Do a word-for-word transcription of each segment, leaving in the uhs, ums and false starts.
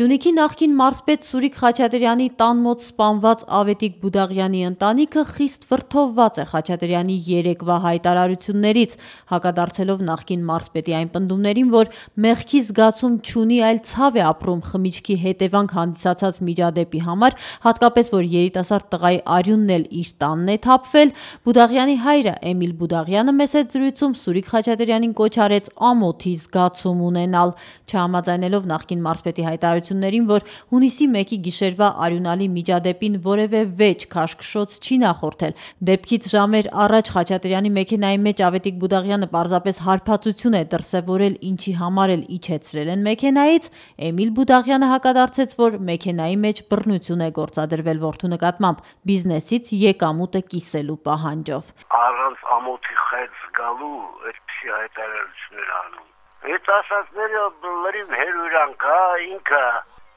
Սյունիքի նախկին մարզպետ Սուրիկ Խաչատրյանի տան մոտ սպանված Ավետիք Բուդաղյանի ընտանիքը խիստ վրդովված է Խաչատրյանի երեկվա հայտարարություններից, հակադարձելով նախկին մարզպետի այն պնդումներին, որ մեղքի զգացում չունի, այլ ցավ է ապրում խմիչքի հետևանք հանդիսացած միջադեպի համար, հատկապես որ երիտասարդ տղայի արյունն էլ իր տանն է թափվել։ Բուդաղյանի հայրը Էմիլ Բուդաղյանը մեծ զրույցում Սուրիկ Խաչատրյանին կոչ արեց ամոթի զգացում ունենալ, չհամաձայնելով նախկին մարզպետի հայտարարություններին, որ հունիսի մեկի գիշերվա արյունալի միջադեպին որևէ վեճ քաշքշոց չի նախորդել։ Դեպքից ժամեր առաջ Խաչատրյանի մեքենայի մեջ Ավետիք Բուդաղյանը պարզապես հարբածություն է դրսևորել, ինչի համար էլ իջեցրել են մեքենայից, Էմիլ Բուդաղյանը հակադարձեց, որ մեքենայի մեջ բռնություն է գործադրվել որդու նկատմամբ բիզնեսից եկամուտը կիսելու պահանջով։ Առանց ամոթի խեց գալու այդպիսի հայտարարություններ անում։ Այդ ասածները լրիվ հերույրանք է, ինքը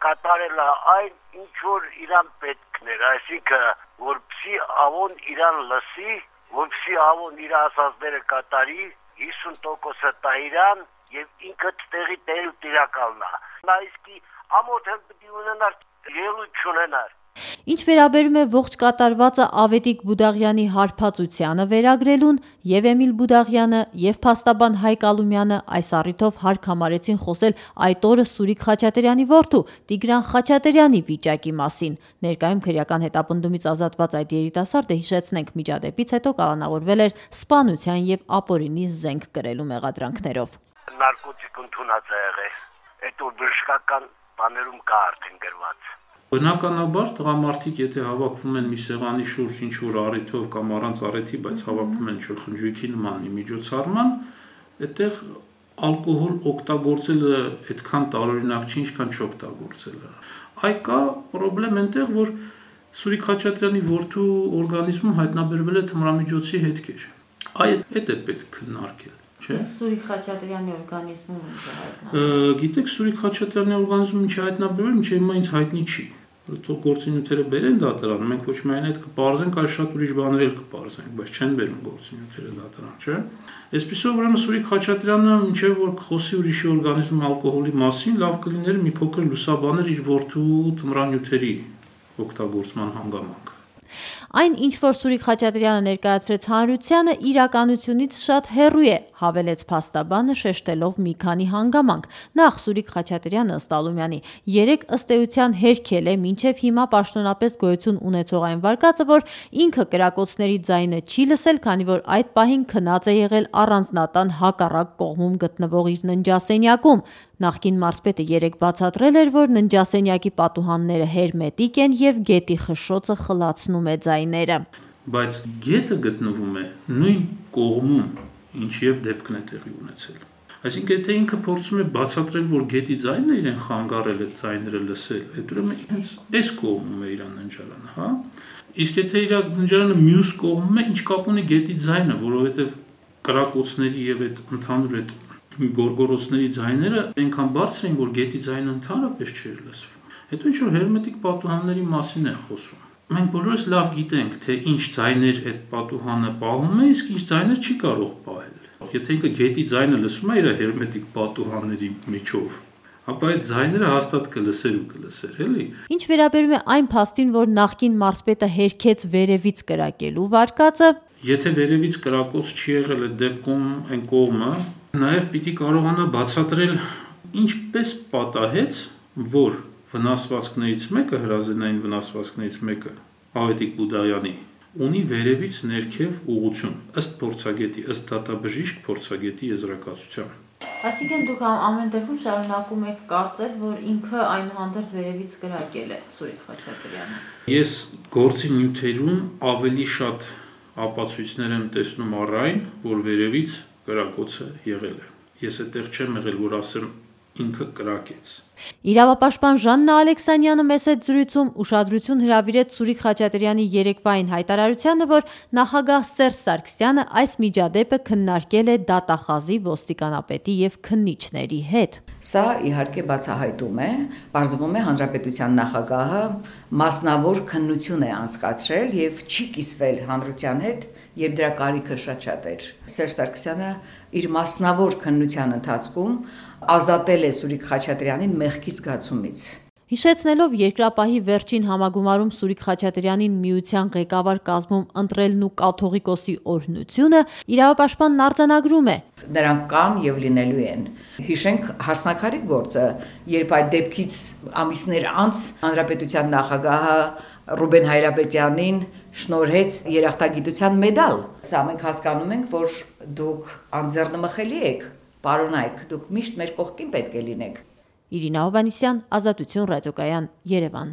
կատարել է այն, ինչ որ իրան պետքն էր, այսինքն որպեսզի ավոն իրան լսի, որպեսզի ավոն իր ասածները կատարի, հիսուն տոկոսը տա իրան եւ ինքը տեղի տեղի տիրակալն է։ Նա իսկի ամոթ էլ պիտի ունենար, ելույթ չունենար։ Ինչ վերաբերում է ողջ կատարվածը Ավետիք Բուդաղյանի հարբածությանը վերագրելուն, եւ Էմիլ Բուդաղյանը եւ փաստաբան Հայկ Ալումյանը այս առիթով հարկ համարեցին խոսել այդ օրը Սուրիկ Խաչատրյանի որդու Տիգրան Խաչատրյանի վիճակի մասին։ Ներկայում քրեական հետապնդումից ազատված այդ երիտասարդը, հիշեցնենք, միջադեպից հետո կալանավորվել էր սպանության եւ ապօրինի զենք կրելու մեղադրանքներով։ Նարկոտիկ ընդունած է եղել, այդ որ բժշկական բաներում կա արդեն գրված։ Բնականաբար տղամարդիկ, եթե հավաքվում են մի սեղանի շուրջ ինչ-որ առիթով կամ առանց առիթի, բայց հավաքվում են ինչ-որ խնջույքի նման մի միջոցառման, այդտեղ ալկոհոլ օգտագործելը այդքան տարօրինակ չի, ինչքան չօգտագործելը։ Այ կա պրոբլեմ այնտեղ, որ Սուրիկ Խաչատրյանի որդու օրգանիզմում հայտնաբերվել է թմրամիջոցի հետքեր։ Այդ այդ է պետք քննարկել, չէ՞։ Սուրիկ Խաչատրյանի օրգանիզմում ինչ է հայտնաբերվել։ Գիտեք, Սուրիկ Խաչատրյանի օրգանիզմում ինչ է հայտնաբերվել, մինչև հիմա ինձ հայտնի չի։ Թող գործինյութերը բերեն դատարան, մենք ոչ միայն այդ կպարզենք, այլ շատ ուրիշ բաներ էլ կպարզենք, բայց չեն բերում գործինյութերը դատարան, չէ՞։ Այսպիսով ուրեմն Սուրիկ Խաչատրյանը մինչև որ խոսի ուրիշի օրգանիզմում ալկոհոլի մասին, լավ կլիներ մի փոքր լուսաբաներ իր որդու թմրանյութերի օգտագործման հանգամանքը։ Այն, ինչ որ Սուրիկ Խաչատրյանը ներկայացրեց հանրությանը, իրականությունից շատ հեռու է, հավելեց փաստաբանը, շեշտելով մի քանի հանգամանք։ Նախ Սուրիկ Խաչատրյանը ըստ Ալումյանի երեք ըստ էության հերքել է մինչև հիմա պաշտոնապես գոյություն ունեցող այն վարկածը, որ ինքը կրակոցների ձայնը չի լսել, քանի որ այդ պահին քնած է եղել առանձնատան հակառակ կողմում գտնվող իր ննջասենյակում։ Նախկին մարզպետը երեկ բացատրել էր, որ ննջասենյակի պատուհանները հերմետիկ են եւ գետի խշշոցը խլացնում է ձայները։ Բայց գետը գտնվում է նույն կողմում, ինչև դեպքն է տեղի ունեցել։ Այսինքն, եթե ինքը փորձում է բացատրել, որ գետի ձայնն է իրեն խանգարել այդ ձայները լսել, այդ ուրեմն հենց այս կողմում է իր ննջարանը, հա։ Իսկ եթե իր ննջարանը մյուս կողմում է, ինչ կապ ունի գետի ձայնը, որովհետեւ կրակոցների եւ այդ ընդհանուր այդ գորգորոցների ձայները այնքան բարձր են, որ գետի ձայնը ընդհանրապես չէր լսվում։ Հետո ինչ որ հերմետիկ պատուհանների մասին է խոսում։ Մենք բոլորս լավ գիտենք, թե ինչ ձայներ այդ պատուհանը պահում է, իսկ ինչ ձայներ չի կարող պահել։ Եթե ինքը գետի ձայնը լսում է իր հերմետիկ պատուհանների միջով, ապա այդ ձայները հաստատ կլսեր ու կլսեր, էլի։ Ինչ վերաբերում է այն փաստին, որ նախկին մարզպետը հերքեց վերևից կրակելու վարկածը, եթե վերևից կրակոց չի եղել այդ դեպքում այն կողմը, նաև պիտի կարողանա բացատրել ինչպես պատահեց, որ վնասվածքներից մեկը, հրազենային վնասվածքներից մեկը Ավետիք Բուդաղյանի ունի վերևից ներքև ուղղություն, ըստ փորձագետի, ըստ դատաբժիշկ փորձագետի եզրակացության։ Այսինքն դուք ամեն դեպքում շարունակում եք կարծել, որ ինքը այնուհանդերձ վերևից կրակել է Սուրիկ Խաչատրյանը։ Ես գործի նյութերում ավելի շատ ապացույցներ եմ տեսնում առ այն, որ վերևից կրակոցը եղել է։ Ես այդտեղ չեմ եղել, որ ասեմ ինքը կրակեց։ Իրավապաշտպան Ժաննա Ալեքսանյանը մեծ զրույցում ուշադրություն հրավիրեց Սուրիկ Խաչատրյանի երեկվային հայտարարությանը, որ նախագահ Սերժ Սարգսյանը այս միջադեպը քննարկել է դատախազի, ոստիկանապետի եւ քննիչների հետ։ Սա իհարկե բացահայտում է, պարզվում է հանրապետության նախագահը մասնավոր քննություն է անցկացրել եւ չի կիսվել հանրության հետ, երբ դրա կարիքը շատ շատ էր։ Սերժ Սարգսյանը իր մասնավոր քննության ընթացքում ազատել է Սուրիկ Խաչատրյանին մեղքի զգացումից։ Հիշեցնելով երկրապահի վերջին համագումարում Սուրիկ Խաչատրյանին միության ղեկավար կազմում ընտրելն ու կաթողիկոսի օրհնությունը, իրավապաշտպանն արձանագրում է. Նրանք կան եւ լինելու են։ Հիշենք հարսնակարի գործը, երբ այդ դեպքից ամիսներ անց հանրապետության նախագահը Ռուբեն Հայրապետյանին շնորհեց երախտագիտության մեդալ։ Սա մենք հասկանում ենք, որ դուք անձեռնմխելի եք, պարոնայք, դուք միշտ մեր կողքին պետք է լինեք։ Իրինա Հովհաննիսյան, Ազատություն ռադիոկայան, Երևան։